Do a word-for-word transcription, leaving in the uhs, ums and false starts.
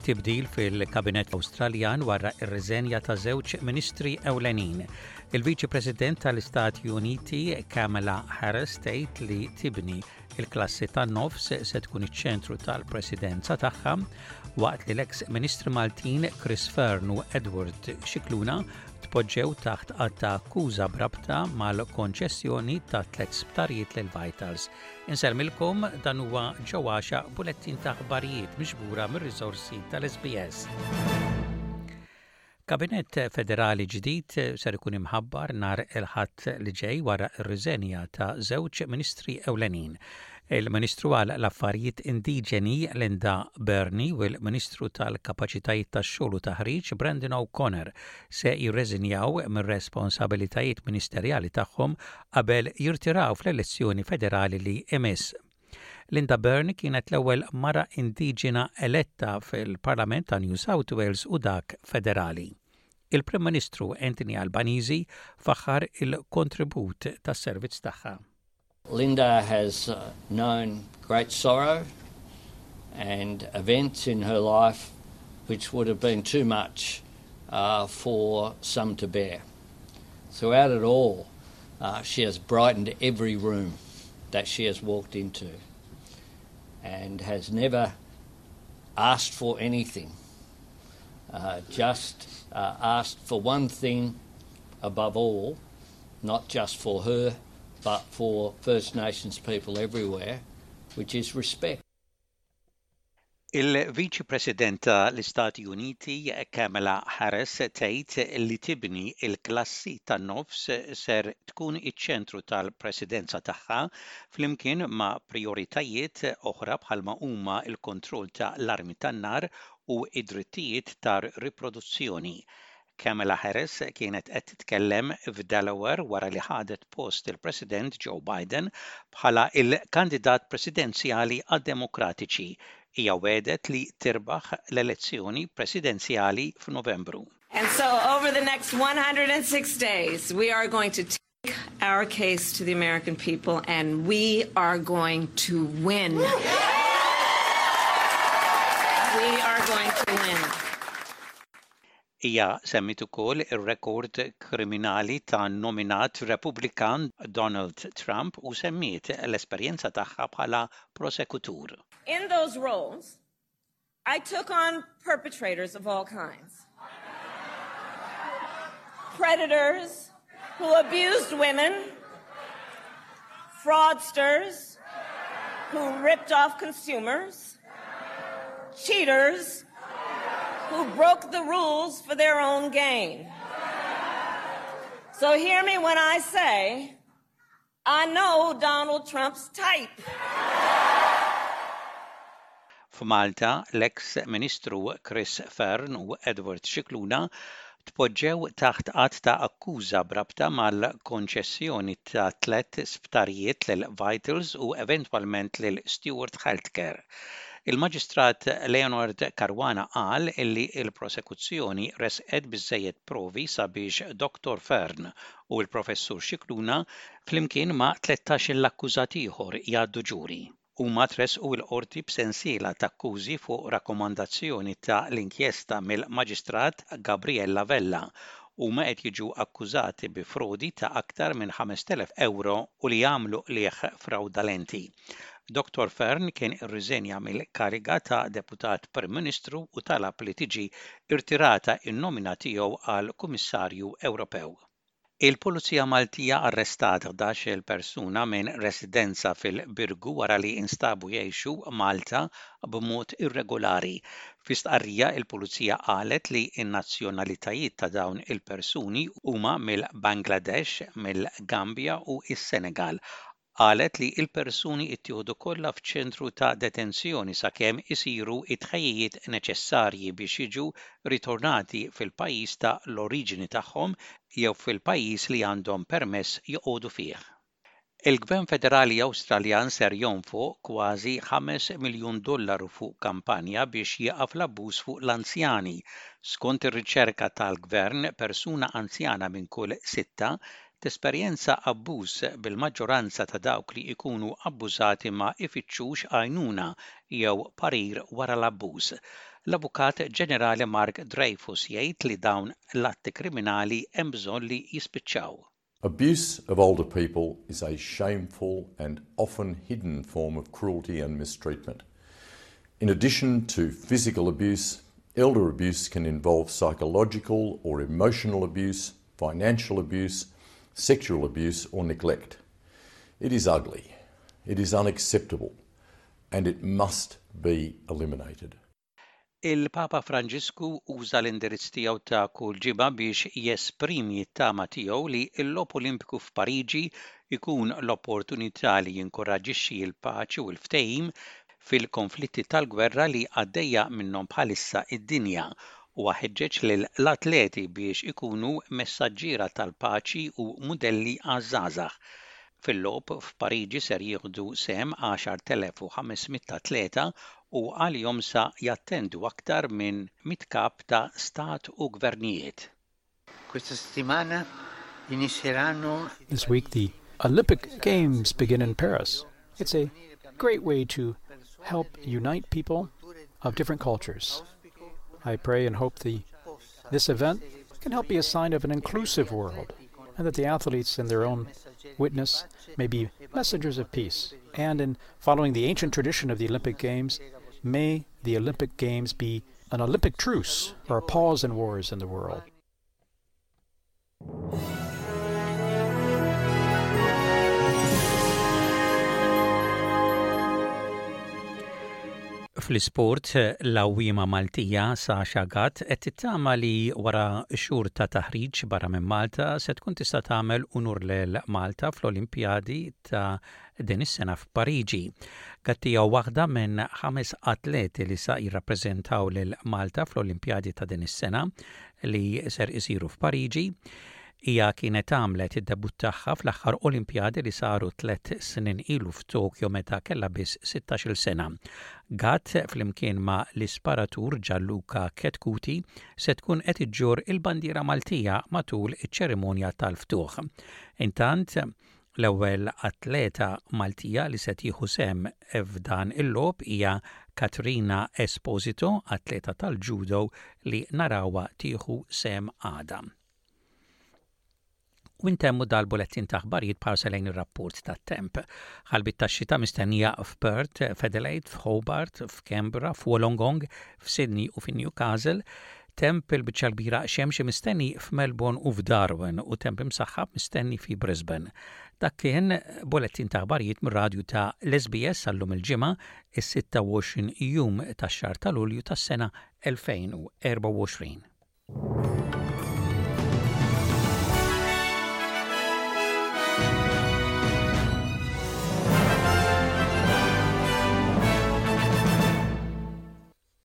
Tibdil fil-Kabinett Awstraljan wara ir-riżenja ta' żewġ ministri ewlenin. Il-Viċi President tal-Istati Uniti Kamala Harris tgħid li tibni il-klassi tan-nofs se tkun iċ-ċentru tal-presidenza tagħha, waqt li l-eks Ministri Maltin Chris Fearne u Edward Scicluna tpoġġew taħt att ta' akkuża b'rabta mal-konċessjoni ta' tliet sptarijiet lil Vitals. Insellmilkom, dan huwa ġewwaxa bulettin ta' aħbarijiet miġbura mir-riżorsi tal-S B S. Kabinett federali ġdid ser ikun imħabbar nhar il-Ħadd li ġej wara r-riżenja ta' żewġ ministri ewlenin. Il-Ministru għal l-Affarijiet Indiġeni Linda Burney u l-Ministru tal-Kapaċitajiet tax-Xogħol u Taħriġ Brendan O'Connor se jirreżinjaw mir-responsabilitajiet ministerjali tagħhom qabel jirtiraw fl-elezzjoni federali li imiss. Linda Burney kienet l-ewwel mara indiġena eletta fil-Parlament ta' New South Wales u dak federali. Il-Prim Ministru Anthony Albanese faħar il-kontribut tas-servizz tagħha. Linda has uh, known great sorrow and events in her life which would have been too much uh, for some to bear. Throughout it all, uh, she has brightened every room that she has walked into and has never asked for anything, uh, just uh, asked for one thing above all, not just for her, but for First Nations people everywhere, which is respect. Il-Viċi President tal-Istati Uniti Kamala Harris tgħid li tibni il-klassi tan-nofs ser tkun iċ-ċentru tal-presidenza tagħha, flimkien ma' prioritajiet oħra bħalma huma l-kontroll ta' l-armi tan-nar u id-drittijiet tar-riproduzzjoni. Kamala Harris kienet qed titkellem f'Delaware wara li ħadet post il-President Joe Biden bħala il-kandidat presidenzjali għad-Demokratiċi. Hija wegħdet li tirbaħ l-elezzjoni presidenzjali f'Novembru. And so over the next one hundred six days, we are going to take our case to the American people and we are going to win. We are going to win. Hija semmit ukoll ir-rekord kriminali ta' nominat Repubblikan Donald Trump u semmiet l-esperjenza tagħha bħala prosekutur. In those roles, I took on perpetrators of all kinds. Predators who abused women, fraudsters who ripped off consumers, cheaters who broke the rules for their own gain. So hear me when I say, I know Donald Trump's type. F'Malta, l-eks Ministru Chris Fearne u Edward Scicluna tpoġġew taħt att ta' akkuża b'rabta mal-konċessjoni ta' tliet sptarijiet lil Vitals u eventwalment lil Steward Healthcare. Il-Maġistrat Leonard Caruana qal illi il-prosekuzzjoni resqet biżejjed provi sabiex Doctor Fearne u l-Professur Scicluna flimkien ma' tlettax l-akkużat ieħor jgħaddu ġuri. Huma tresqu l-qorti b'sensiela ta' akkużi fuq rakkomandazzjoni ta' l-inkjesta mill-Maġistrat Gabriella Vella. Huma qed jiġu akkużati bi frodi ta' aktar minn ħamest elef euro u li jagħmlu qligħ fraudolenti. Doctor Fearne kien irriżenja mill-kariga ta' deputat Prim Ministru u talab li tiġi irtirata in-nomina tiegħu għal Kummissarju Ewropew. Il-Pulizija Maltija arrestat ħdax-il persuna minn residenza fil-Birgu wara li instabu jgħixu Malta b'mod irregolari. Fi stqarrija, il-Pulizija qalet li n-nazzjonalitajiet ta' dawn il-persuni huma mill-Bangladesh, mill-Gambja u s-Senegal. Qalet li l-persuni ttieħdu kollha f'ċentru ta' detenzjoni sakemm isiru it-tħejjijiet neċessarji biex jiġu ritornati fil-pajjiż ta' l-oriġini tagħhom jew fil-pajjiż li għandhom permess joqogħdu fih. Il-Gvern Federali Awstraljan ser jonfoq kważi ħames miljun dollaru fuq kampanja biex jieqaf l-abbuż fuq l-anzjani. Skont ir-riċerka tal-Gvern, persuna anzjana minn kull sitta tesperjenza abbuż, bil-maġġoranza ta' dawk li jkunu abbużati ma ifittxux għajnuna jew parir wara l-abbuż. L-Avukat Ġenerali Mark Dreyfus jgħid li dawn l-atti kriminali hemm bżonn li jispiċċaw. Abuse of older people is a shameful and often hidden form of cruelty and mistreatment. In addition to physical abuse, elder abuse can involve psychological or emotional abuse, financial abuse, sexual abuse, or neglect. It is ugly, it is unacceptable, and it must be eliminated. Il-Papa Franġisku uża l-indirizz tiegħu ta' kull ġimgħa biex jesprimi t-tama tiegħu li l-Logħob Olimpiku f'Pariġi jkun l-opportunità li jinkoraġixxi l-paċi u l-ftehim fil-konflitti tal-gwerra li għaddejja minnhom bħalissa id-dinja u ħeġġeġ lill-atleti biex ikunu messaġġiera tal-paċi u mudelli għaż-żgħażagħ. Fil-logħob f'Pariġi ser jieħdu sehem għaxart elef u ħames mitt atleta u għalihom sa jattendu aktar minn mitt kap ta' stat u gvernijiet. Questa settimana inizieranno This week, the Olympic Games begin in Paris. It's a great way to help unite people of different cultures. I pray and hope the, this event can help be a sign of an inclusive world and that the athletes in their own witness may be messengers of peace. And in following the ancient tradition of the Olympic Games, may the Olympic Games be an Olympic truce or a pause in wars in the world. Fl-isport, l-għawwiema Maltija Sasha Gatt qed tittama li wara xhur ta' taħriġ barra minn Malta se tkun tista' tagħmel unur lil Malta fl-Olimpjadi ta' din is-sena f'Pariġi. Gatt hija waħda minn ħames atleti li sa jirrappreżentaw lil Malta fl-Olimpjadi ta' din is-sena li ser isiru f'Pariġi. Hija kienet għamlet id-debut tagħha fl-aħħar Olimpjadi li saru tliet snin ilu f'Tokyo meta kellha biss sittax-il sena. Gatt flimkien ma' l-isparatur Gianluca Chetcuti se tkun qed iġġorr il-bandiera Maltija matul iċ-ċerimonja tal-ftuħ. Intant, l-ewwel atleta Maltija li se tieħu sehem f'dan il-logħob hija Katrina Esposito, atleta tal-judo li narawha tieħu sehem għada. U ntemmu dal-bulettin ta' aħbarijiet b'ħarsa lejn ir-rapport tat-temp. Ħalbiet tax-xita mistennija f'Perth, f'Adelaide, f'Hobart, f'Canberra, f'Wollongong, f'Sydney u f'Newcastle. Temp il-biċċa kbira xemx mistenni f'Melbourne u f'Darwin u temp imsaħħab mistenni fi Brisbane. Dak kien bulettin ta' aħbarijiet mir-radju ta' l-S B S għal-lum il-Ġimgħa, is-sitta u għoxrin jum tax-xahar ta' Lulju tas-sena elfejn u erbgħa u għoxrin.